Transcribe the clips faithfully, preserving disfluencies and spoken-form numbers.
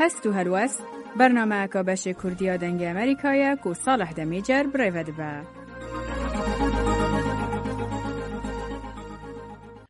Hest û helwest, bernameyeka beşê Kurdî ya Dengê Amerîka ye ku Salih Demîcer bi rê ve dibe.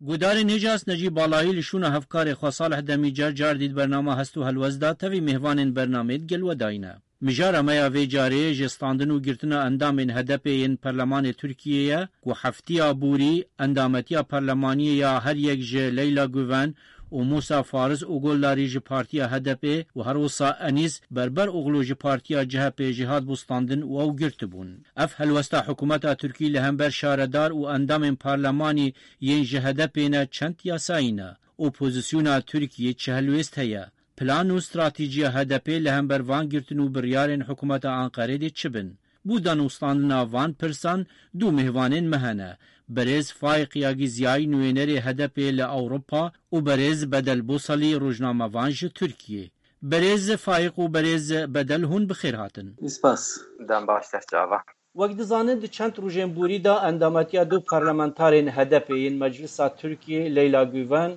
Guhdarên hêja Necî Balayî li şûna hevkarê xwe Salih Demîcer car dî di bernama Hest û Helwest de tevî mêvanên bernameyê digel we dayîne. Mijara me ya vê carê ji standin û girtina endamên H D P yên Perlemanê Tirkiyê ye ku heftiya bûrî endametiya perlemaniyê ya her yek ji Leyla Guven û Musa Fariz Ogullarî ji partiya H D P û her wisa Enîs Berber Oglu ji partiya C H P jî hatbû standin û ew girtibûn. Ev helwesta hikûmeta Tirkî li hember şaredar û endamên parlemanî yên ji H D P ne çend yasayî ne. Opozisyona Tirkiyê çi helwêst heye? Plan û stratejîya H D P li hember van girtin û biryarên hikûmeta Anqerê dê çi bin? Bû danûstandina van pirsan du mêvanên me hene. Berêz Faîq Yagîziyayî, nûênerê H D P li Ewropa û berêz Bedel Bosalî, rojnamevan ji Tirkiyê. Berêz Faîq û berêz Bedel, hûn bi xêr hatin. Spas. Dem baş, te çava. Wek dizanin, di çend rojên borî de endametiya du parlamentarên H D P yên Meclisa Tirkiyê, Leyla Guven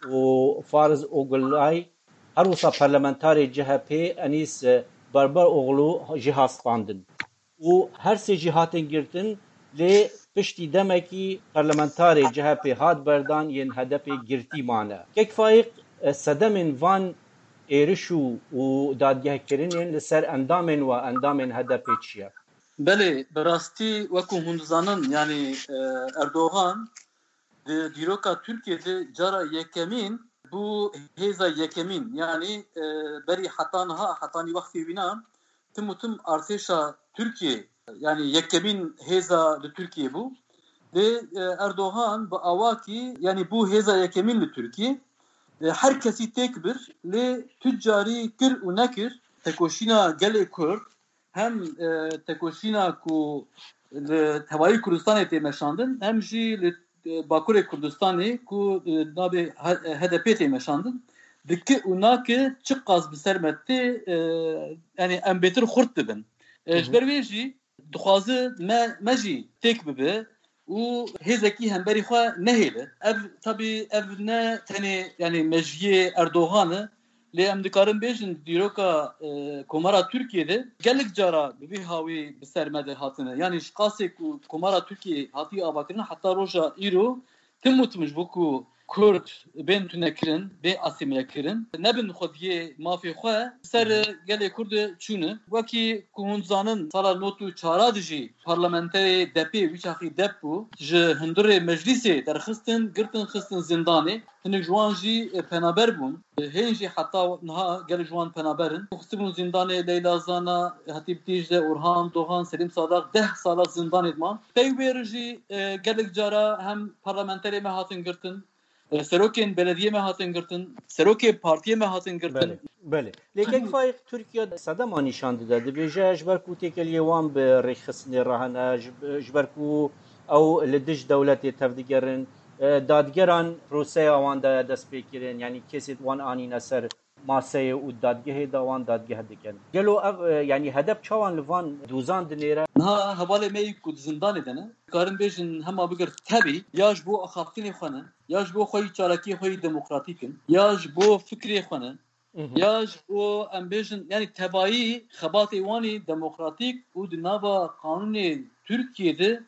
û Fariz Ogulay, her wisa parlamentarê C H P Enîs Berberoğlu jî hat standin. Û her sê jî hatin girtin, lê piştî demekî parlamentarê C H P hat berdan, yên H D P girtî mane. Kek Faîq, e, sedemên van êriş û, û dadgehkirinên li ser endamên we, endamên H D P çi ye? Belê, bi rastî wekû hûn dizanin, yanî, e, Erdogan di dîroka Tirkiyê de cara yekemîn bû hêza yekemîn, yanî, e, berî heta niha, hetanî wextê wîna, tim û tim artêşa Tirkiyê, yanî yekemîn hêza li Tirkiyê bû. Lê, e, Erdogan bi awakî, yanî bû hêza yekemîn li Tirkiyê. E, her kesî têk bir, lê tu carî kir û nekir, tekoşîna gelê Kurd, hem, e, tekoşîna ku li tevayî Kurdistanê tê meşandin, hem jî li, e, Bakurê Kurdistanê ku, e, navê H-, H D P tê meşandin, dike û nake çiqas bi ser me tê, e, yanî em bêtir xurt dibin. E, Hı hı. Ji ber wê jî dixwaze me, me jî têk bibe û hêzekî hemberî xwe nehêle. Ev, tabî ev ne tenê, yanî mejiyê Erdogan e, lê em dikarin bêjin dîroka, e, Komara Tirkiyê de gelek cara bi vî hawî bi ser me de hatine. Yanî ji qasê ku Komara Tirkiyê hatiye avakirin heta roja îro tim û tim ji bo ku Kurd bên tunekirin, bê asîmîlekirin, nebin xwediyê mafê xwe ser Hı hı. gelê Kurd çûne. Wekî ku hûn dizanin, sala nod û çar de jî parlamenterê D P, wî çaxî D E P bû, ji hundirê meclîsê derxistin, girtin, xistin zindanê. Hinek ji wan jî, e, penaber bûn. Hên jî heta niha gelek ji wan penaber in. Xistibûn zindanê Leyla Zana, Hatîp Dîcle, Orhan Dogan, Selîm Sadax, deh sala zindanê diman. Pey wê re jî, e, gelek cara hem parlamenterê me hatin girtin, e, serokên belediyê me hatin girtin, serokê partiyê me hatin girtin. Belê, belê. Lê kek Faîq, Tirkiye sedema nîşan dide. Dibêje ji ber ku têkiliyê wan bi rêxistinê re hene, ji, ji ber ku ew li dij dewletê tevdigerin, e, dadgeran proseya wan daye destpêkirin, yanî kesê wan anîne ser maseyê û dadgehê de wan dadgeh dikin. Gelo ev, e, yanî H D P çawan li van dozan dinêre? Niha hevalê me yî ku di zindanê de ne, dikarin bêjin hema bigir tevî, ya ji bo axaftinê xwe ne, ya ji bo xweyî çalakiyê xwe yî demokratîk in, ya ji bo fikrê xwe ne, Mhm. ya ji bo em bêjin, yanî tevayî xebatê wan î demokratîk û di nava qanûnê Tirkiyê de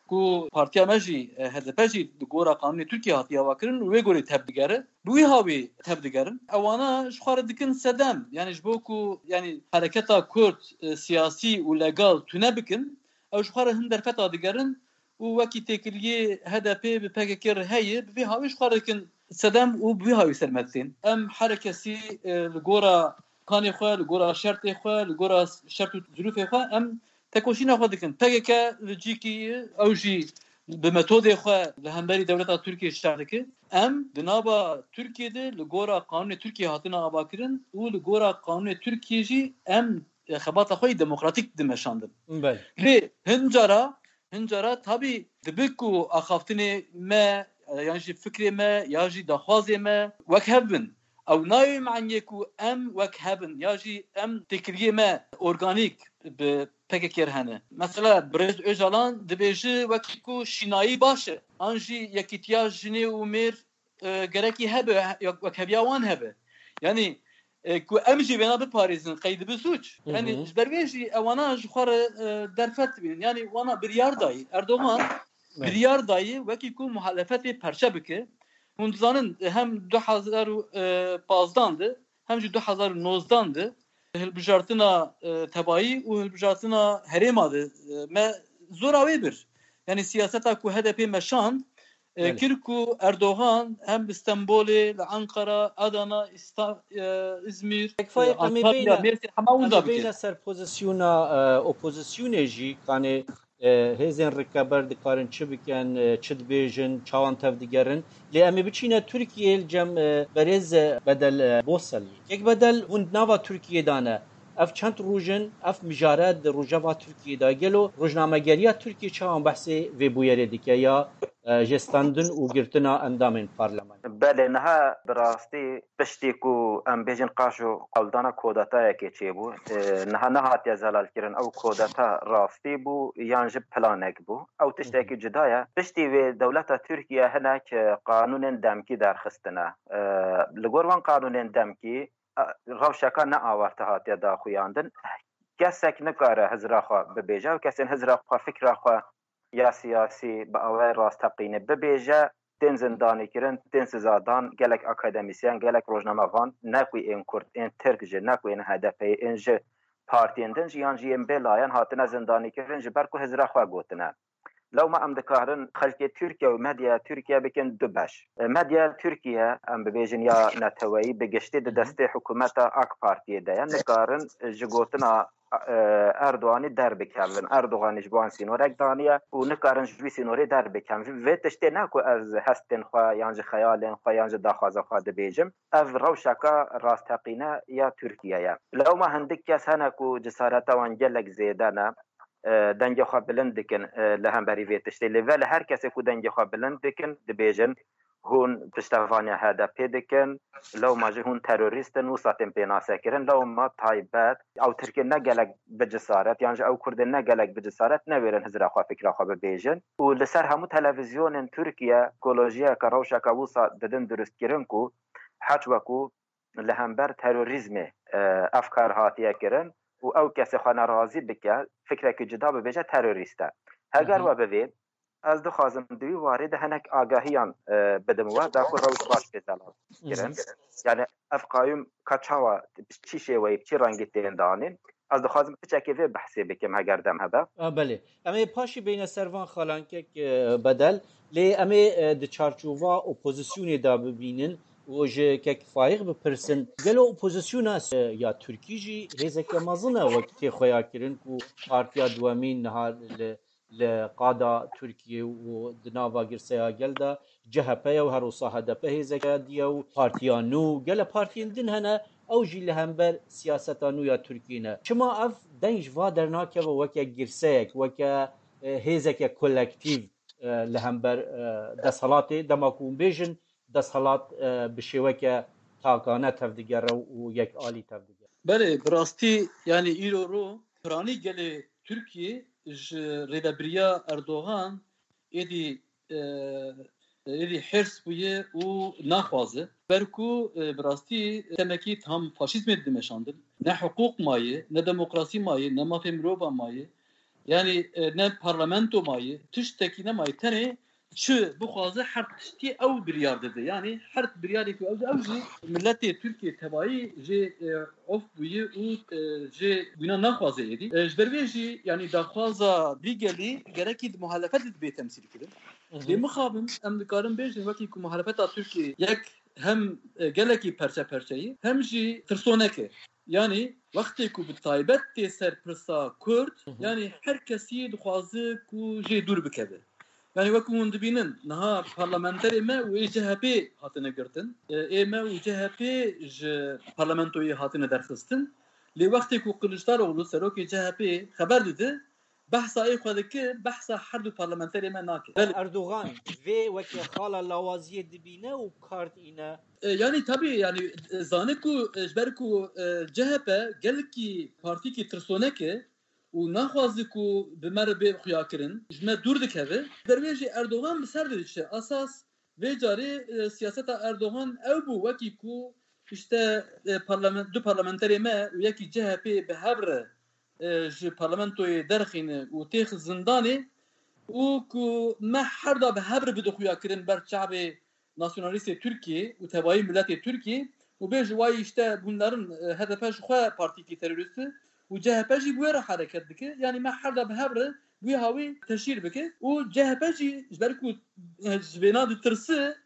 ku partiya me jî, e, H D P jî di gora qanûnê Tirkiyê hatiye avakirin û wê gorî tevdigere, bi wî hawî tevdigerin. Ewana ji xwe re dikin sedem, yanî ji bo ku, yanî hereketa Kurd, e, siyasî û legal tune bikin, ew ji xwe re hin derfeta digerin û wekî têkiliyê H D P bi P K K re heye, bi vî hawî ji xwe re dikin sedem û bi vî hawî ser me tên. Em herekesî, e, li gora kanê xwe, li gora şertê xwe, li gora şert û zirûfê xwe em tekoşîna xwe dikin. P K K li cîkî ew jî bi metodê xwe li hemberî dewleta Tirkiyê şer dike. Em di nava Tirkiyê de li gora qanûnê Tirkiyê hatine avakirin û li gora qanûnê Tirkiyê jî em, e, xebata xwe yî demokratîk dimeşandin. Belê. Lê hin cara, hin cara tabî dibe ku axaftinê me, e, yan jî fikrê me, ya jî daxwazê me wek hev bin. Ew nayê maniyê ku em wek hev in, ya jî em têkiliyê me organîk bi P K K re hene. Mesela Birêz Ocalan dibêje wekî ku şînayî baş e, an jî yekîtiya jinê û mêr, e, gerekî hebe, he-, wek heviya wan hebe. Yanî, e, ku em jî vêna biparêzin, qey dibe sûc. Hı hı. Yanî ji ber vê jî ewana ji xwe re, e, derfet dibînin. Yanî wana biryar dayî. Erdogan Evet. biryar dayî wekî ku muhalefetê perçe bike. Hûn dizanin, e, hem du hezar û pazdan de hem jî du hezar û nozdan de hilbijartina, e, tebayî û hilbijartina herêma de, e, me zora wê bir. Yanî siyaseta ku H D P meşand, e, Belê. kir ku Erdogan hem li Stenbolê, li Ankara, Adana, İsta-, e, İzmir, Tek Faik, e, em ê Antalya, beyne, Mêrsîn, hema em winda ê beyne bike. ser pozisyona, e, opozisyonê jî, kanê, e, hêzên rikeber dikarin çi bikin, e, çi dibêjin, çawan tevdigerin. Lê em ê biçîne Tirkiyeyê li cem, e, berêz, e, Bedel, e, Boselî. Kek Bedel, hûn di nava Tirkiyê de ne. Ev çend roj in, ev mijare di rojeva Tirkiyê de. Gelo rojnamegeriya Tirkiyê çawan behsê vê bûyerê dike ya, e, jê standin û girtina endamên parlamento? Belê, niha bi rastî piştî ku em bêjin qaşo hewldana kodetayekê çêbû, e, niha nehatiye zelalkirin. Ew kodeta rastî bû yan jî planek bû? Ew tiştekî Hı hı. cuda ye. Piştî wê dewleta Tirkiye hinek, e, qanûnên demkî derxistine. E, li gor van qanûnên demkî, e, rewşeka ne awarte hatiye daxuyandin. Kesek nikare hizra xwe bibêje û kesên hizra xwe, fikra xwe ya siyasî bi awayê rasteqînê bibêje, tên zindanîkirin, tên sizadan, gelek akademîsyen, gelek rojnamevan, ne ku ên Kurd, ên Tirk jî, ne ku ên H D P'yê, ên ji partiyên din jî yan jî yên bêlayan hatine zindanîkirin ji ber ku hizra xwe gotine. Lewma em dikarin xelkê Tirkiye û medyaya Tirkiye bikin du beş. E, medyaya Tirkiye, em bibêjin ya neteweyî, bi giştî di Hı hı. destê hikûmeta AK Partiyê de ye. Nikarin, e, ji gotina, e, Erdoganî derbikevin. Erdoganî ji bo wan sînorek daniye û nikarin ji wî sînorê derbikevin. Vê tiştê ne ku ez hestên xwe yan ji xeyalên xwe yan ji daxwaza xwe dibêjim. Ev rewşeka rasteqîne ya Tirkiye ye. Lewma hindik kes hene ku cesareta wan gelek zêde ne. E, dengê xwe bilind dikin, e, li hemberî vê tiştê. Lê vele her kesê ku dengê xwe bilind dikin, dibêjin, hûn piştevaniya H D P dikin, lewma jî hûn terorîst in, wisa tên pênasekirin. Lewma taybet, ew Tirkên ne gelek bi cesaret, yan jî ew Kurdên ne gelek bi cesaret newêrin hizra xwe, fikra xwe bibêjin. Û li ser hemû televîzyonên Tirkiye ekolojiyeke, rewşeke wisa didin durustkirin ku heç wekû li hember terorîzmê, e, ev kar hatiye kirin û ew kesê xwe nerazî bike, fikrekî cuda bibêje, terorîst e. Heger Hı hı. we bivê, ez dixwazim di wî warê de hinek agahiyan, e, bidim we, da ku rewş baş pê zelal kirin. Hı hı. Yani ev qayûm ka çawa, bi çi şêweyî, bi çi rengî tên danîn? Ez dixwazim piçekê vê behsê bikim, heger dem hebe. A, belê. Em ê paşî beyne ser van xalankek, e, Bedel. Lê em ê, e, di çarçova opozisyonê de bibînin û ji kek Faîq bipirsin. Gelo opozisyona, e, ya Tirkî jî hêzeke mezin e wek tê xuya kirin ku partiya duwemîn niha li, li qada Tirkiyê û di nava girseya gel de C H P ye û her wisa H D P hêzeke diye û partiya nû, gele partiyên din hene, ew jî li hember siyaseta nû ya Tirkiyê ne. Çima ev deng ji va dernakeve weke girseyek, weke, e, hêzeke kolektîv, e, li hember, e, desthilatê, dema ku hûn bêjin desthilat, e, bi şêweke takane tevdigere û yekalî tevdigere? Belê, bi rastî, yanî îro ro piranî gelê Tirkiyê ji rêvebiriya Erdogan êdî, e, êdî hêrs bûye û naxwaze. Ber ku, e, bi rastî temekî tam faşîzmê dimeşandin. Ne hiqûq maye, ne demokrasî maye, ne mafê mirova maye. Yanî, e, ne parlamento maye, tiştekî nemaye. Tenê çi bixwaze her tiştî ew biryar dide. Yanî her biryarê ku ew, ew jî miletê Tirkiyê tebayî jê, e, of bûye û, e, jê wîna naxwaze êdî. E, ji ber vê jî, yanî daxwaza vî gelî gerekî di muhalefetê de bê temsîl kirin. Hı hı. Lê mixabin em dikarin bêjin wekî ku muhalefeta Tirkiyê yek hem, e, gelekî perçe perçeyî hem jî tirsonek e. Yanî wextê ku bi taybet tê ser pirsa Kurd, Hı hı. yanî her kesî dixwaze ku jê dûr bikeve. Yanî wekî hûn dibînin, niha parlamenterê me û ê C H P hatine girtin. E, ê me û C H P ji parlamentoyê hatine derxistin. Lê wextê ku Kiliçdaroglu, serokê C H P, xeber dide, behsa ê xwe dike, behsa her du parlamenterê me nake. Belê. Erdogan vê weke xala lawaziyê dibîne û kart îne. E, yanî tabî, yanî, e, zane ku, e, ji ber ku, e, C H P gelkî partîkî tirsonek e û naxwaze ku bi me re bê xuyakirin, ji me dûr dikeve. Ji ber wê jî Erdogan bi ser de diçe. Esas vê carê, e, siyaseta Erdogan ew bû, wekî ku işte, e, parlament-, du parlamenterê me û yekî C H P bi hev re, e, ji parlamentoyê derxîne û têx zindanê û ku me her da bi hev re bide xuya kirin ber çavê nasyonalîstê Tirkiyê û tevayî miletê Tirkiyê û bê ji wayî işte bunların, e, H D P ji xwe partîkî terorîst e û C H P jî bi wê re hereket dike. Yanî me her da bi hev re wî hawî teşhîr bike û C H P jî ji ber ku, e, ji vêna ditirse,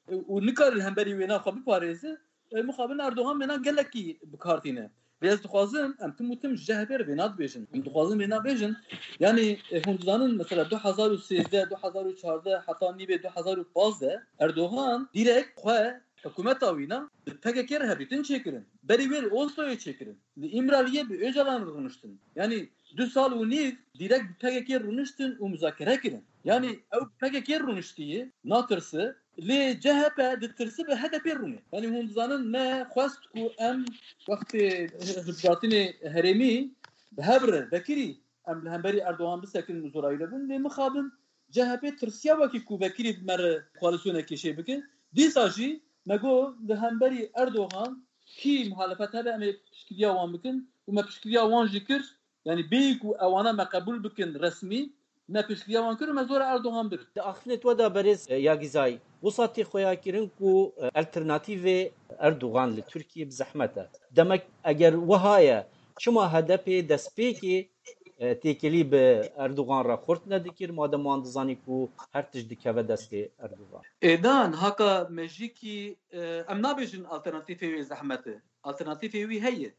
e, û nikare li hemberî wêna xwe biparêze, e, mixabin Erdogan vêna gelekî bi kar tîne. Lê ez dixwazim em tim û tim ji C H P re vêna dibêjin. Em dixwazin vêna bêjin. Yanî, e, hûn dizanin mesela du hezar û sêzdeh, du hezar û çardeh heta nîvê du hezar û pazdeh Erdogan direkt xwe hikûmeta wîna bi P K K re hevdîtin çêkirin. Berî wê li Osloyê çêkirin. Li Îmraliyê bi Ocalan re rûniştin. Yanî du sal û nîv direkt bi P K K rûniştin û muzakere kirin. Yanî ew bi P K K rûniştiye, natirse, lê C H P ditirse bi H D P rûnê. Yanî hûn dizanin me xwest ku em wextê hilbijartinê herêmî bi hev re vekirî em li hemberî Erdogan bisekin û zorayî re bin. Lê mixabin C H P tirsiya wekî ku vekirî bi me re koalîsyonekê çê bike. Dîsa jî me got li hemberî Erdogan kî muhalefet hebe em ê piştgiriya wan bikin û me piştgiriya wan jî kir. Yanî bêyî ku ewana me qebûl bikin resmî, me piştgiriya wan kir û me zora Erdogan bir. Di axiftinê we de berêz, e, Yagizayî, wisa tê xuyakirin ku, e, alternatîvê Erdogan li Tirkiyê bi zehmet e. Demek eger wiha ye, çima H D P destpêkê, e, têkilî bi Erdogan re xurt nedikir, madem wan dizanî ku her tişt dikeve destê Erdogan? Êdan, haka mejîkî, e, em nabêjin alternatîfê wê zehmet e. Alternatîfê wî heye.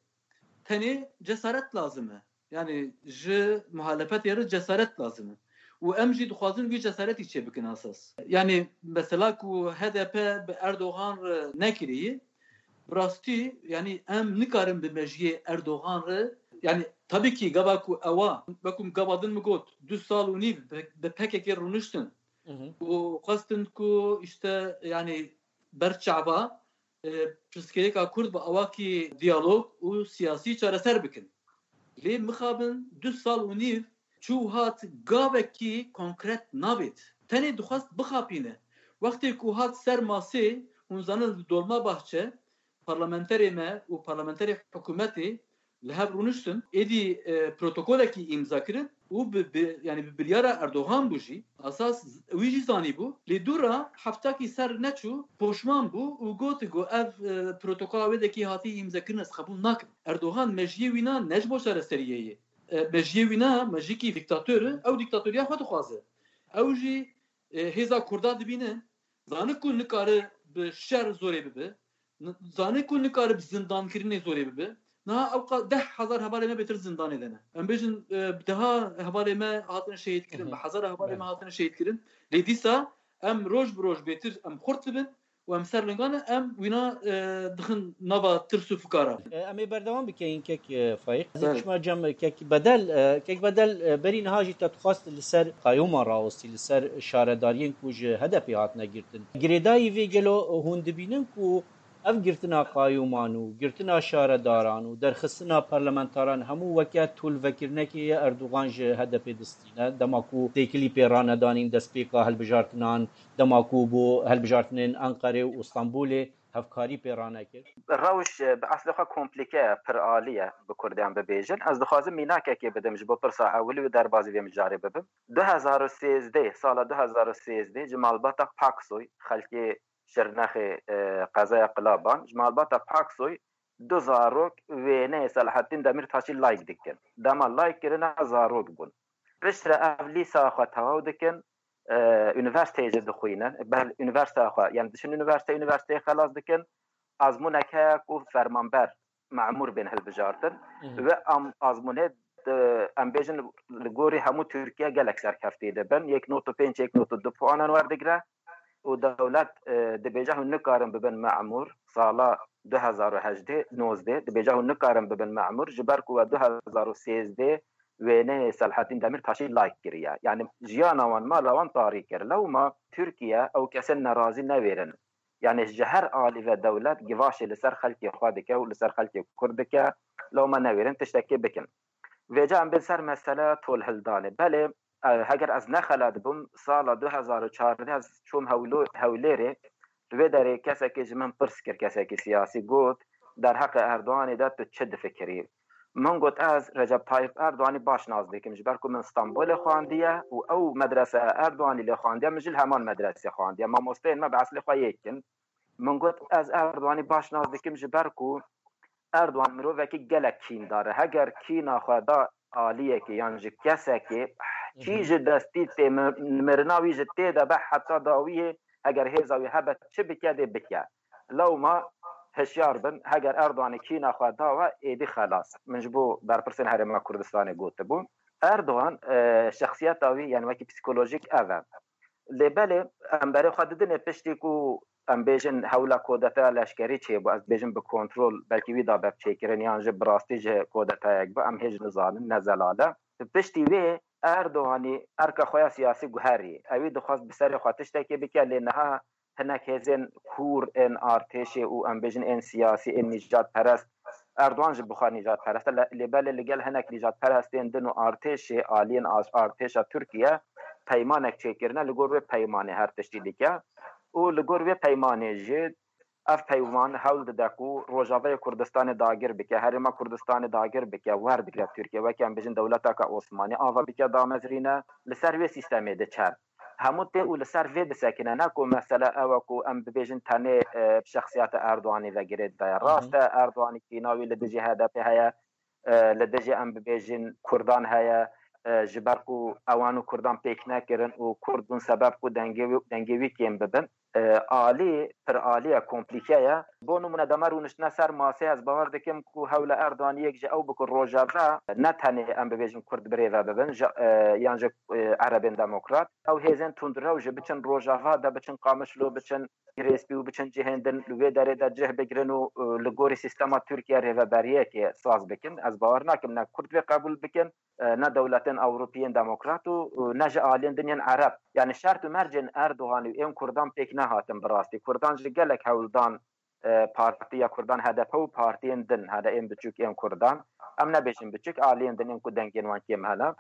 Tenê cesaret lazim e. Yani ji muhalefetê re cesaret lazim e. Û em jî dixwazin wî cesaretî çêbikin esas. Yani mesela ku H D P bi Erdogan re nekiriye, bi rastî yani em nikarin bi mejiyê Erdogan re, yani tabii ki gava ku ewa, wekû gava din min got, du sal û nîv bi, bi P K K rûniştin Hı hı. û xwestin ku işte yani ber çava e, pirsgirêka Kurd bi awakî diyalog û siyasî çareser bikin. Lê mixabin du sal û nîv çû hat gavekî konkret nabêt. Tenê dixwest bixapîne. Wextê ku hat ser masê, hûn zanin li Dolmabahçe parlamenterê me û parlamenterê hikûmetê li hev rûniştin, êdî, e, protokolekî îmza kirin û bi, bi, yani bi biryara Erdogan bû jî. Esas wî jî zanîbû. Lê dû re heftakî ser neçû, poşman bû û got ku ev, e, protokola wê dekî hatî îmzekirin ez qebûl nakim. Erdogan mejiyê wîna ne ji bo çareseriyê ye. E, mejiyê wîna mejiyekî dîktator e, ew dîktatoriya xwe dixwaze. Ew jî, e, hêza Kurda dibîne, zane ku nikare bi şer zorê bibe. N-, zane ku nikare bi zindankirinê zorê bibe. Niha ew qa-, deh hezar hevalê me bêtir zindanê de ne. Em bêjin, e, bi deha hevalê me hatine şehîd kirin, Hı hı. bi hezara hevalê me Belê. hatine şehîd kirin. Lê dîsa em roj bi roj bêtir em xurt dibin û em ser lingan e, em wîna, e, dixin nava tirs û fikara. E, em ê berdewam bikeyin kek, e, Faîq. Ez ê Belê. çima cem kek Bedel, e, kek Bedel, e, berî niha jî te dixwast li ser qayûman rawestî, li ser şaredariyên ku ji H D P hatine girtin. Girêdayî vê gelo hûn dibînin ku ev girtina qayûman û girtina şaredaran û derxistina parlamentaran hemû weke tûlvekirinekê ye Erdogan ji H D P distîne. Dema ku têkilî pê ranedanîn destpêka hilbijartinan, dema ku bo hilbijartinên Enqerê û Stenbolê hevkarî pê ranekir. Rewş, e, bi eslê xwe komplîke ye, piralî ye, bi kurdiyan bibêjin. Ez dixwazim mînakekê bidim ji bo pirsa ewilî û derbazî vê mijarê bibim. Du hezar û sêzdeh, sala du hezar û sêzdeh ji malbata Paksoy, xelkê Şirnexê, e, qezaya Qilaban, ji malbata Paksoy du zarok wêneyê Selahattîn Demîrtaşî like dikin. Dema like kirine zarok bûn. Piştre ev lîsa xwe tewaw dikin, e, unîversîteyê jî dixwînin. Ber unîversîteya xwe, yani diçin unîversîte, unîversîteyê xelas dikin. Azmûnek heye ku fermanber, memûr bên hilbijartin. Hı hı. Ve am-, azmûnê, e, em bêjin li gorî hemû Tirkiye gelek serkeftî dibin. Yek nod û pênc, yek nod û du puanan werdigre. Û dewlet, e, dibêje hûn nikarin bibin memûr. Sala du hezar û hejdeh, nozdeh, dibêje hûn nikarin bibin memûr. Ji ber ku we du hezar û sêzdeh wêneyê Selahattîn Demîrtaşî like kiriye. Yani jiyana wan, mala wan tarî kir. Lewma Tirkiye ew kesên nerazî newêrin. Yani ji her alî ve dewlet givaşê li ser xelkê xwe dike û li ser xelkê Kurd dike. Lewma newêrin tiştekê bikin. Vêca em bên ser meseleya tolhildanê. Belê, e, heger ez nexelat bûm, sala du hezar û çardeh ez çûm Hewlo-, Hewlêrê, Di vê derê kesekê ji min pirs kir, kesekî siyasî got, derheqê Erdoganê de tu çi difikirî? Min got, ez Recep Tayyip Erdoganî baş nas dikim, ji ber ku min Stenbolê xwendiye û ew medreseya Erdoganî lê xwendiye, min jî li heman medresê xwendiye. Mamosteyên me bi eslê xwe yek in. Min got, ez Erdoganî baş nas dikim, ji ber ku Erdogan mirovekî gelek kîndar e. Heger kîna xwe da aliyekê yan ji kesekê, çî ji destî tê, mi-, mirina wî ji tê de be heta dawiyê, heger hêza wî hebe, çi bike dê bike. Lewma hişyar bin, heger Erdoganê kîna xwe da we, êdî xelas. Min ji bo berpirsên Herêma Kurdistanê gotibû. Erdogan, e, şexsiyeta wî, yani wekî psîkolojîk ev e. Lê belê em berê xwe didinê piştî ku em bêjin hewla kodeteya leşkerî çêbû, ez bêjim bi kontrol, belkî wî da be çêkirin yan jî bi rastî jî kodetayek bû, em hêj nizanin, ne zelal e. Piştî wê Erdoganî erka xwe ya siyasî guherî. Ewî dixwest bi serê xwe tiştekê bike, lê niha hinek hêzên kûr ên artêşê û em bêjin ên siyasî, ên nîjadperest, Erdogan ji bi xwe nîjadperest e, le-, lê belê li gel hinek nîjadperestên din û artêşê aliyên as-, artêşa Tirkiye peymanek çêkirine, li gor wê peymanê her tiştî dike û li gor wê peymanê jî ev peyman hewl dide ku Rojavayê Kurdistanê dagir bike, Herêma Kurdistanê dagir bike, werdigre Tirkiye, weke em bêjin dewleteke Osmanî ava bike damezrîne, li ser wê sîstemê diçe. Hemû tê û li ser vê disekine, ne ku mesele ew e ku em bibêjin tenê, e, bi şexsiyeta Erdoganî ve girêdayî. Rast e, Erdoganî kîna wî li dijî H D P heye, e, li dijî em bibêjin Kurdan heye, e, ji ber ku ewan û Kurdan pêk nekirin û Kurd bûn sebeb ku dengê wî, dengê wî kêm bibin. E, alî, pir alî ye, komplîke ye. Bo nimûne dema rûniştine ser masê, ez bawer dikim ku hewla Erdoganî yek ji ew biku Rojava, ne tenê em bibêjin Kurd birêve bibin, ji, e, yan ji, e, Erebên Demokrat. Ew hêzên tundrew jî biçin Rojava de, biçin Qamişlo, biçin Girêspî û biçin cihên din li wê derê de cih bigirin û, e, li gorî sîstema Tirkiye rêveberiyekê saz bikin. Ez bawer nakim ne Kurd vê qebûl bikin, e, ne dewletên Ewropî yên demokrat û, û ne ji aliyên din yên Ereb. Yani şert û mercên Erdogan û ên Kurdan pêk nehatin bi rastî. Kurdan ji gelek hewldan, e, Partiya Kurdan, H D P û partiyên din, hede ên biçûk ên Kurdan, em nebêjin biçûk, aliyên din ên ku dengên wan kêm hene,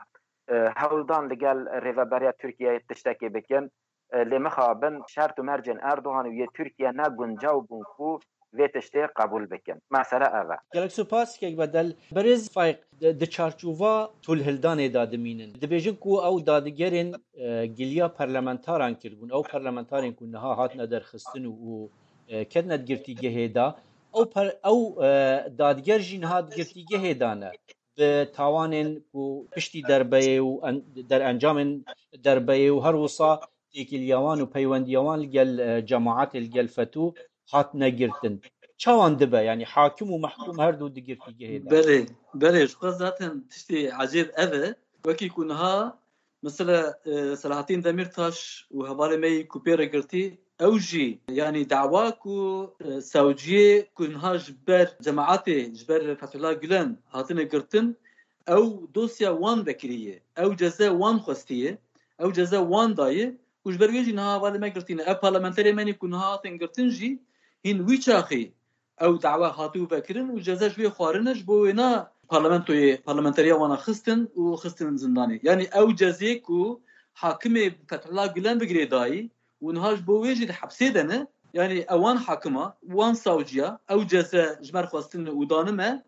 e, hewldan li gel rêveberiya Tirkiyeyê tiştekê bikin. E, lê mixabin şert û mercên Erdogan û yê Tirkiye ne guncaw bûn ku vê tiştê qebûl bikin. Mesele ev e. Gelek spas, kek Bedel. Berêz Faîq, di, di çarçova tolhildanê de dimînin. Dibêjin ku ew dadigerên, e, giliya parlamentaran kiribûn. Ew parlamentarên ku niha hatine derxistin û, û, e, ketine di girtîgehê de. Ew per-, ew, e, dadiger jî niha di girtîgehê de ne. Bi tawanên ku piştî derbeyê û en-, derencamên derbeyê û her wisa têkiliya wan û peywendiya wan li gel, e, cemaetê, li gel FETÖ hatine girtin. Çawan dibe? Yani hakim û mehkûm her du di girtîgehê de. Belê, belê, ji xwe zaten tiştê ecêb ev e. Wekî ku niha, mesela, e, Selahattin Demirtaş û hevalê me yî ku pê re girtî, ew jî, yani dawa ku, e, sewciyê ku niha ji ber cemaetê, ji ber Fethullah Gülen hatine girtin, ew dosya wan vekirî ye. Ew ceze wan xwestiye. Ew ceze wan dayê. Û ji ber wê jî niha hevalê me girtîne. Ev parlamenterê me nî ku niha hatin girtin jî hîn wî çaxî ew dawa hatibû vekirin û ceze ji wê xwarine, ji bo wêna parlamentoyê, parlamenteriya wana xistin û xistin zindanê. Yanî ew cezê ku hakimê Fethullah Gülen bi girêdayî û niha ji bo wê jî di hepsê de ne, yanî ewan hakima, wan sawciya, ew ceze ji me re xwestine û dane me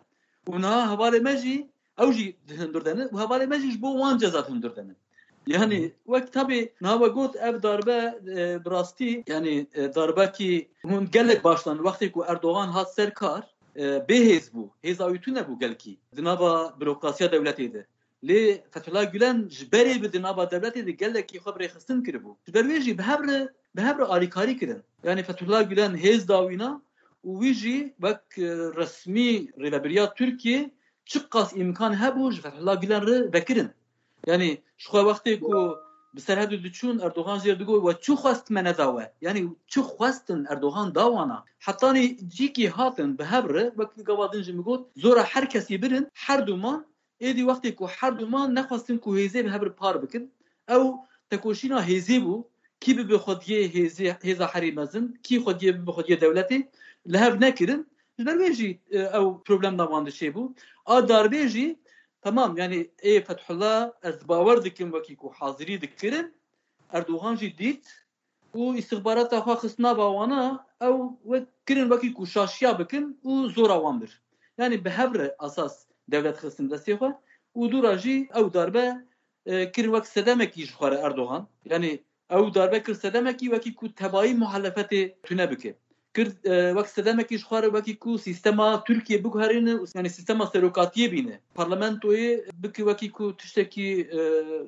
û niha hevalê me jî ew jî di hundir de ne û hevalê me jî ji bo wan ceza di hundir de ne. Yani wek tabî niha we got ev darbe, e, bi rastî, yani, e, darbekî hûn gelek baş dan wextê ku Erdogan hat ser kar, e, bêhêz bû. Hêza wî tune bû gelkî di nava bürokrasiya dewletê de. Lê Fethullah Gülen ji berê bi di nava dewletê de gelekî xwe bi rêxistin kiribû. Ji ber wê jî bi hev re, bi hev re alîkarî kirin. Yani Fethullah Gülen hêz da wîna û wî jî wek, e, resmî rêveberiya Tirkiyê çiqas îmkan hebû ji Fethullah Gülen re vekirin. Yani ji xwe wextê ku bi Serhedê diçûn, Erdogan jê re digot, we çi xwest me neda we? Yani çi xwestin Erdogan da wana? Hetanî cîkî hatin bi hev re, wek gava din jî min got, zora her kesî birin, her du man, êdî wextê ku her du man nexwestin ku hêzê bi hev re par bikin, ew tekoşîna hêzê bû, kî bibe xwediyê hêzê, hêza herî mezin, kî xwediyê bibe xwediyê dewletê, li hev nekirin. Ji ber wê jî, e, ew problem da wan dişêbû. A darbê jî, temam, yani ê Fethullah, ez bawer dikim wekî ku hazirî dikirin, Erdogan jî dît, û îstixbarata xwe xist nava wana, ew wek kirin wekî ku şaşiya bikin û zora wan bir. Yanî bi hev re esas dewlet xistin destê xwe û dûra jî ew darbe, e, kirin wek sedemekî ji xwe re Erdogan. Yanî ew darbe kir sedemekî wekî ku tebayî muhalefetê tune bike. Kir, e, wek sedemekî ji xwe re wekî ku sîstema Tirkiye biguherîne û, yanî sîstema serokatiyê bîne. Parlamentoyê bike wekî ku tiştekî, e,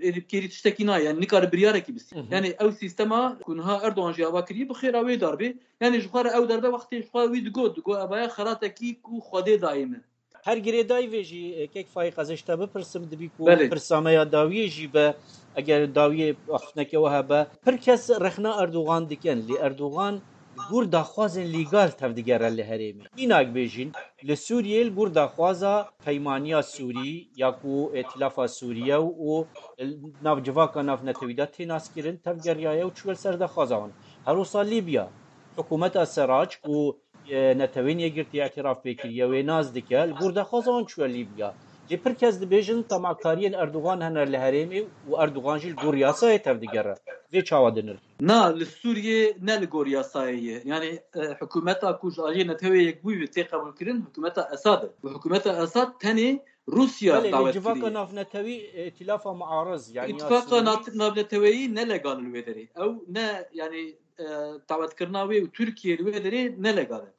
êdî bikêrî tiştekî nayê, yanî nikare biryarekî bistî. Hı hı. Yanî ew sîstema ku niha Erdogan jî ava kiriye bi xêra wê darbê. Yanî ji xwe re ew darbe wextê ji xwe wî digot, digot, "Evaya xeratekî ku Xwedê dayê min." Her girêdayî vê jî, e, kek Faîq, ez ê ji te bipirsim, dibî ku Belê. pirsa me ya dawiyê jî be, eger dawiyê axiftineke we hebe. Pir kes rexna Erdogan dikin, lê Erdogan li gor daxwazên lîgal tevdigere li herêmê. Mînak bêjin, li Sûriyê li gor daxwaza Peymaniya Sûrî ya ku Îtilafa Sûriye û, û navcivaka navnetewî de tê naskirin, tevgeriyaye û çûye li ser daxwaza wan. Her wisa Lîbya, hikûmeta Serac ku e, Netewên Yekgirtî îtiraf pê kiriye, wê nas dike, li gor daxwaza wan çûye Lîbya. Lê pir kes dibêjin temakariyên Erdogan hene li herêmê û Erdogan jî li gor yasayê tevdigere. Vê çawa dinir? Na, li Sûriyê ne li gor yasayê ye. Yanî, e, hikûmeta ku ji aliyê Netewê Yekbûyî ve tê qebûlkirin, hikûmeta Esad e. Û hikûmeta Esad tenê Rûsya Belê, lê dawet civaka kiriye. navnetewî, e, îtilafa muariz, yanî ya Îtifaqa Sûrî. nat-, navneteweyî nelegal li wê derê. Ew ne, yanî, e, dawetkirina wê û Tirkiye li wê derê nelegal e.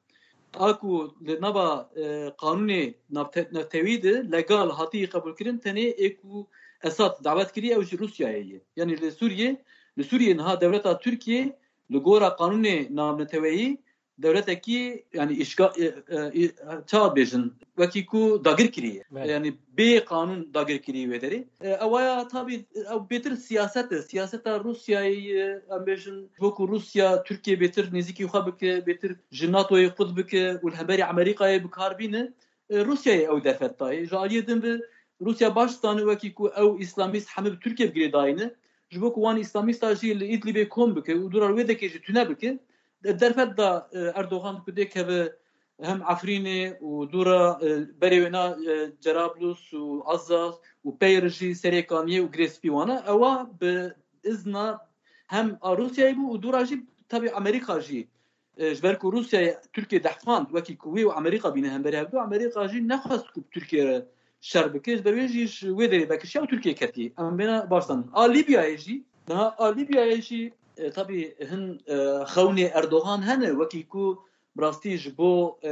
A ku li nava, e, qanûnê navte-, navnetewî de legal hatî qebûlkirin, tenê ê ku Esad dawet kiriye, ew ji Rûsyayê ye. Yanî li Sûriyê, li Sûriyê niha dewleta Tirkiye li gora qanûnê navneteweyî dewletekî, yanî îşga-, e, e, e, çawa bêjin, wekî ku dagir kiriye. Belê. Yanî bê qanûn dagir kiriye wê derê. E, ewaya tabî, ew bêtir siyaset e. Siyaseta Rûsyayê, e, em bêjin, bo ku Rûsya Tirkiye bêtir nêzîkî xwe bike, bêtir ji NATOyê qut bike û li hemberî Amerîkayê bi kar bîne, e, Rûsyayê ew derfet dayê. Ji aliyê din ve Rûsya baş dizane wekî ku ew îslamîst hemî bi Tirkiye bi girêdayî ne. Ji bo ku wan îslamîsta jî li Îdlibê kom bike û dûra wê dekê jî tune bike, derfet da, e, Erdogan ku dê keve hem Efrînê û dûra, e, berê wêna, e, Cerablus û Azaz û peyr jî Serê Kaniyê û Girê Spî wana, ewa bi izna hem a Rûsyayê bû û dûra jî tabî Amerîka jî, e, ji ber ku Rûsyayê Tirkiye dehfand wekî ku wî û Amerîka bîne hemberî hevdu, Amerîka jî nexwest ku bi Tirkiye re şer bike, ji ber wê jî ji wê derê vekişiya û Tirkiye ketiye. Em bêna baş zanin. A Lîbyayê jî, niha a Lîbyayê jî, e, tabî hin, e, xewnê Erdogan hene, wekî ku bi rastî ji bo, e,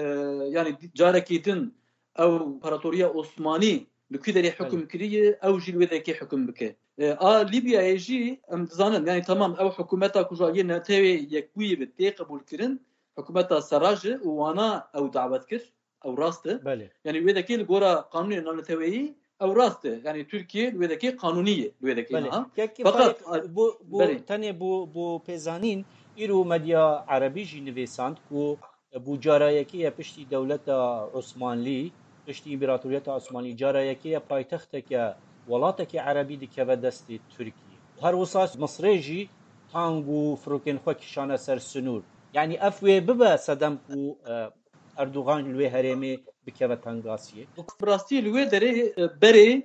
yanî carekî din ew împaratoriya Osmanî li ku derê Belê. hukm kiriye, ew jî li wê derê hukm bike. E, a Lîbyayê jî em dizanin, yanî temam ew hikûmeta ku ji aliyê Netewê Yekbûyî ve tê qebûlkirin, hikûmeta Seraj e û wana ew dawet kir, ew rast e. Belê. Yanî wê dekê li gora qanûnê navneteweyî ew rast e. Yanî Tirkiye li wê dekê qanûnî ye, li wê dekê Belê. niha. Kekî Feqet Faîq, a-, bu, bu belê. tenê bu, bu pêzanîn îro medya erebî jî nivîsand ku bu cara yekê ye piştî dewleta Osmanlî, piştî împaratoriyeta Osmanlî, cara yekê ye paytexteke welateke erebî dikeve destê Tirkiyê. Her wisa Misrê jî tank û firokên xwe kişane ser sinûr. Yanî ev wê bibe sedem ku, e, Erdogan li wê herêmê bikeve tengasiyê. Bi rastî li wê derê, e, berê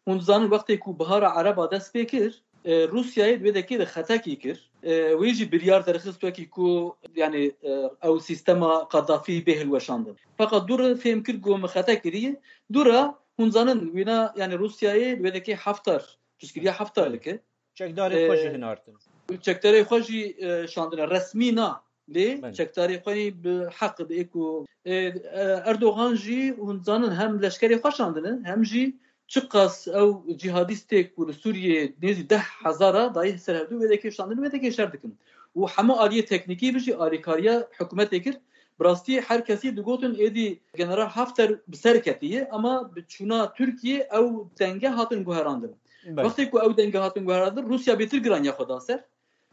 Hûn dizanin wextê ku Bihara Ereba dest pê kir, e, Rûsyayê di wê dekê de xetekî kir. E, wê jî biryar derxist wekî ku, yanî, e, ew sîstema Qedafî bê hilweşandin. Feqet dû re fêm kir ku min xete kiriye. Dû re hûn zanin wîna, yanî Rûsyayê di wê dekê Heftar, piştgiriya Heftar dike. Çekdarê xwe jî E, hinartin. Çekdarê xwe jî, e, şandine. Resmî na. Lê Belê. çekdarê xwe yî bi heq bi ê ku, e, e, Erdogan jî hûn zanin hem leşkerê xwe şandine, hem jî çiqas ew cîhadîstê ku li Sûriyê nêzî deh hezar a dayî ser hevdû wê dekê şandin, wê dekê şer dikin. Û hemû aliyê teknîkî bi jî alîkariya hikûmetê kir. Bi rastî her kesî digotin êdî General Hafter bi ser ketiye, ama bi çûna Tirkiyê ew denge hatin guherandin. Belê. Wextê ku ew denge hatin guherandin, Rûsya bêtir giraniya xwe da ser.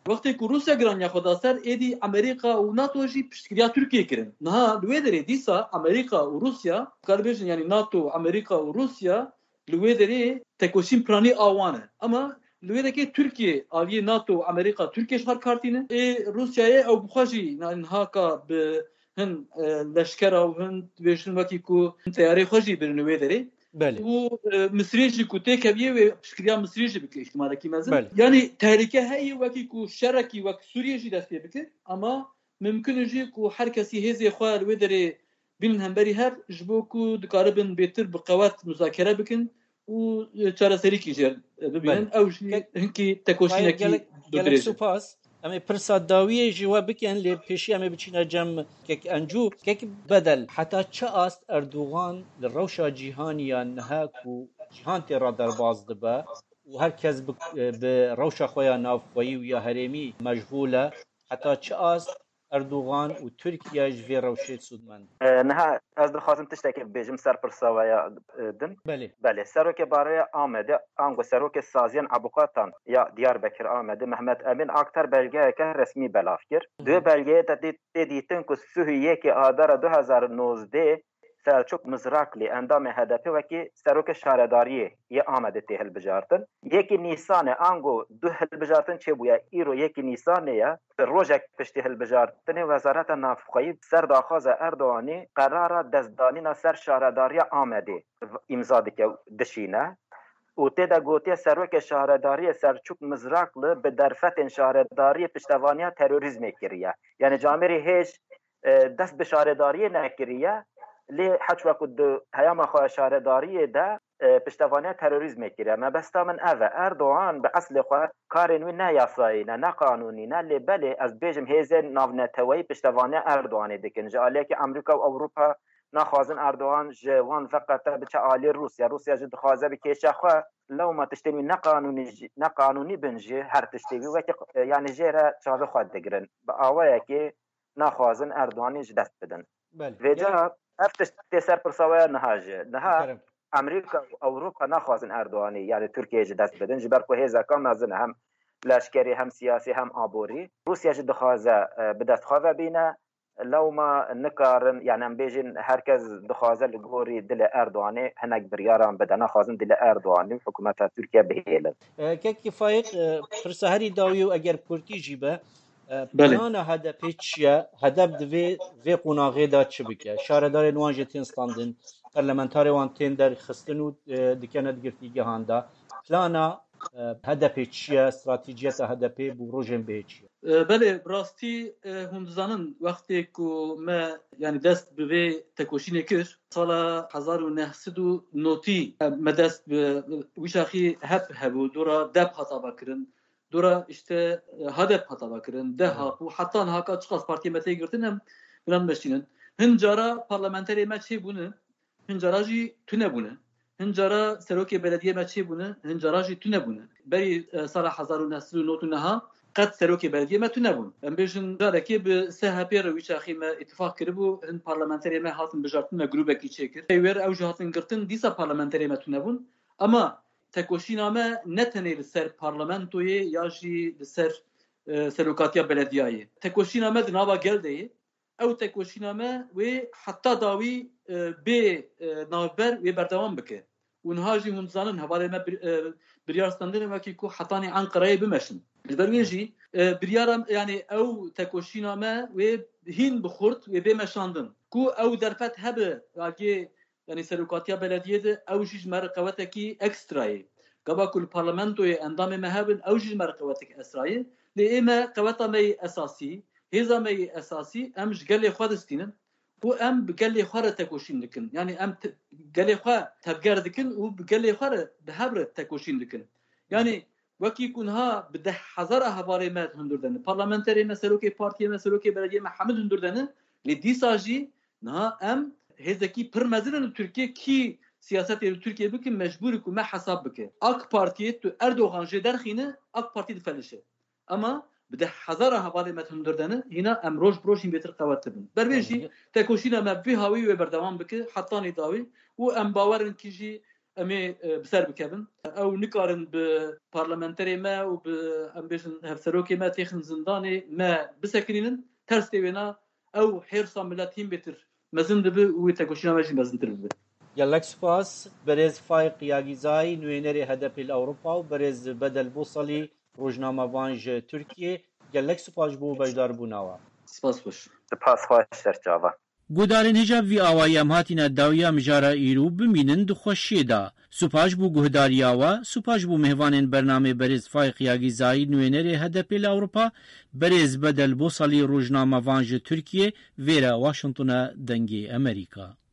Wextê ku Rûsya giraniya xwe da ser, êdî Amerîka û NATO jî piştgiriya Tirkiyê kirin. Niha li wê derê dîsa Amerîka û Rûsya, dikare bêjin, yanî NATO, Amerîka û Rûsya li wê derê tekoşîn piranî a wan e. Ama li wê dekê Tirkiye aliyê NATO û Amerîka Tirkiye ji xwe kartîne. Ê Rûsyayê ew bi xwe jî niha ka bi hin, e, leşkera û hin dibêjin wekî ku teyarê xwe jî birin wê derê. Belê. û e, Misrê jî ku têkeviyê wê piştgiriya Misrê jî bike îhtimalekî mezin. Belê. Yanî tehlike heye wekî ku şerekî wek Sûriyê jî destê bike, ama mimkun e jî ku her kesî hêzê xwe li wê derê bînin hemberî hev, ji bo ku dikaribin bêtir bi qewet muzakere bikin û e, çareserîkî jê bibînin. Belê. Ew jî Kek- hinkî tekoşînekî Gelek, bi gelek dirêj e. Spas. Em ê pirsa dawiyê ji we bikin, lê pêşî em ê biçîne cem kek Encû. Kek Bedel, heta çi ast Erdogan li rewşa cîhanî ya niha ku cîhan tê re derbas dibe û her kes bi, bi rewşa xwe ya navxweyî û ya herêmî meşxûl e, heta çi ast Erdogan û Tirkiye ji vê rewşê sûdmend? E, niha ez dixwazim tiştekê bibêjim ser pirsa we ya, e, din. Belê. Belê, serokê baroya Amedê, ango serokê saziyên ebûqatan ya Diyarbekir Amedê, Mehmet Emîn Aktar belgeyeke resmî belav kir. Di wê belgeyê de tê, tê dîtin ku sih û yekê Adara du hezar û nozdeh Selçuk Mizrakli, endamê H D P, wekî serokê şaredariyê yê Amedê tê hilbijartin. Yekî Nîsanê, ango du hilbijartin çêbûye, îro yekî Nîsanê ye. Rojek piştî hilbijartinê Wezareta Navxweyî ser daxwaza Erdoganî qerara destdanîna ser şaredariya Amedê îmza dike, dişîne. Û tê de gotiye serokê şaredariyê Selçuk Mizrakli bi derfetên şaredariyê piştevaniya terorîzmê kiriye. Yani camêrî hêj e, dest bi şaredariyê nekiriye. Lê heçwa ku di heyama xwe ya şaredariyê de e, piştevaniya terorîzmê kiriye. Mebesta min ev e. Erdogan bi eslê xwe karên wî ne yasayî ne, ne qanûnî ne, lê belê ez bêjim hêzên navneteweyî piştevaniya Erdoganê dikin. Ji aliyekî Amerîka û Ewropa naxwazin Erdogan ji wan veqete biçe alî Rûsya. Rûsya jî dixwaze bi kêşa xwe lewma tiştên wî ne qanûnî jî, ne qanûnî bin jî her tiştê wî wekî, e, yani jê re çavê xwe digirin. Bi awayekê naxwazin Erdoganî ji dest bidin. Belê. Vêca ev tişt tê ser pirsa we ya niha jî. Niha Kerem. Amerîka û Ewropa naxwazin Erdoganî, yani Tirkiye ji dest bidin. Ji ber ku hêzeka mezin e, hem leşkerî, hem siyasî, hem aborî. Rûsya jî dixwaze, e, bi dest xwe ve bîne. Lewma nikarin, yani em bêjin her kes dixwaze li gorî dilê Erdoganê hinek biryaran bide. Naxwazin dilê Erdoganî û hikûmeta Tirkiye bihêlin. E, Kekî Faîq, e, pirsa herî dawî û eger kurtî jî be, e, Belê. plana H D P çi ye? H D P di vê, vê qonaxê de çi bike? Şaredarên wan jî tên standin, parlamentarê wan tên derxistin û, e, dikene di girtîgehan de. Plana, e, H D P çi ye? Stratejiyeta H D P bo rojên bihê çi ye? E, belê, bi rastî, e, hûn dizanin, wextê ku me, yani dest bi vê tekoşînê kir, sala hezar û neh sed û notî, e, me dest bi wî çaxî hep hebû, dora dep hata vekirin, dora işte, e, H D P hata vekirin, D H P û heta niha ka çiqas partiyê me tê girtin em, binan meştînin. Hin cara parlamenterê me çêbûne, hin cara jî tune bûne. Hin cara serokê belediyê me çêbûne, hin cara jî tune bûne. Berî, e, sala hezar û neh sed û nod û neh qet serokê belediyê me tune bûn. Em bêjin carekê bi S H P re wî çaxê me îtifaq kiribû, hin parlamenterê me hatin bijartin, me grûbekî çêkir. Pey wê re ew jî hatin girtin, dîsa parlamenterê me tune bûn. Ama tekoşîna me ne tenê li ser parlamentoyê ya jî li ser, e, serokatiya belediyayê. Tekoşîna me di nava gel de ye. Ew tekoşîna me wê heta dawî, e, bê, e, navber wê berdewam bike. Û niha jî hûn dizanin hevalê me bir-, e, biryar standine wekî ku hetanî Enqereyê bimeşin. Ji ber wê jî, e, biryara, yani ew tekoşîna me wê hîn bi xurt wê bê meşandin. Ku ew derfet hebe, agê, yani serokatiya belediyê de ew jî ji me re qewetekî ekstra ye. Gava ku li parlamentoyê endamê me hebin, ew jî ji me re qewetekî ekstra ye. Lê ê me qeweta me yê esasî, hêza me yê esasî, em ji gelê xwe distînin û em bi gelê xwe re tekoşîn dikin. Yani em te-, gelê xwe tevger dikin û bi gelê xwe re, bi hev re tekoşîn dikin. Yani wekî ku niha bi deh hezara hevalê me hundir dene, parlamenterê me, serokê partiyê me, serokê belediyê me hemû hundir dene, lê dîsa jî niha em hêzekî pir mezin in li Tirkiye, kî siyasetê li Tirkiye bike, mecbûr e ku me hesab bike. AK Partiyê tu Erdogan jê derxîne, AK Partî difelişe. Ama bi deh hezara hevalê me hundir dene, hîna em roj bi roj hîn bêtir qewet dibin. Ber vê jî tekoşîna me bi vî hawî wê berdewam bike, hetanî dawî û em bawer in kî jî em ê, e, bi ser bikevin. Ew nikarin bi parlamenterê me û bi, em bêjin, hevserokê me têxin zindanê, me bisekinînin. Ters tê wêna ew hêrsa milet hîn bêtir mezin dibe û wê tekoşîna me jî mezintir bibe. Gelek spas, berêz Faîq Yagîzayî, nûênerê H D P li Ewropa û berêz Bedel Bosalî, rojnamevan ji Tirkiyê. Gelek spas ji bo beşdarbûna we. Spas xweş. Spas xweş, serçava. Guhdarên hêja bi vî awayî em hatîne dawiya mijara îro bimînin di xweşiyê de. Spas bo guhdariya we, spas bo mêvanên bernamê berêz Faîq Yagîzayî, nûênerê H D P li Ewropa, berêz Bedel Bosalî, rojnamevan ji Tirkiyê, vêre Washington e, Dengê Amerîka.